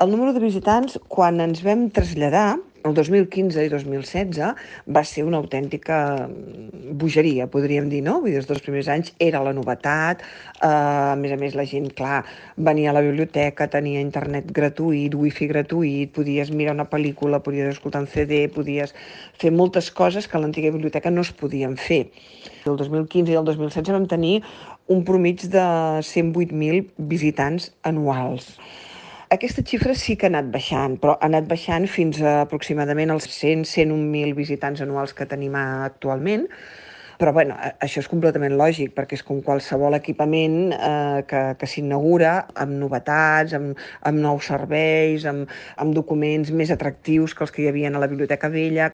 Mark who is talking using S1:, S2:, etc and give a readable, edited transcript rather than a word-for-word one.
S1: El número de visitants, quan ens vam traslladar, el 2015 i 2016, va ser una autèntica bogeria, podríem dir, no? Vull dir, els dos primers anys era la novetat, a més la gent, clar, venia a la biblioteca, tenia internet gratuït, wifi gratuït, podies mirar una pel·lícula, podies escoltar un CD, podies fer moltes coses que a l'antiga biblioteca no es podien fer. El 2015 i el 2016 vam tenir un promig de 108.000 visitants anuals. Aquesta xifra sí que ha anat baixant, però ha anat baixant fins a aproximadament els 101.000 visitants anuals que tenim actualment. Però bueno, això és completament lògic, perquè és com qualsevol equipament que s'inaugura amb novetats, amb nous serveis, amb documents més atractius que els que hi havia a la biblioteca vella.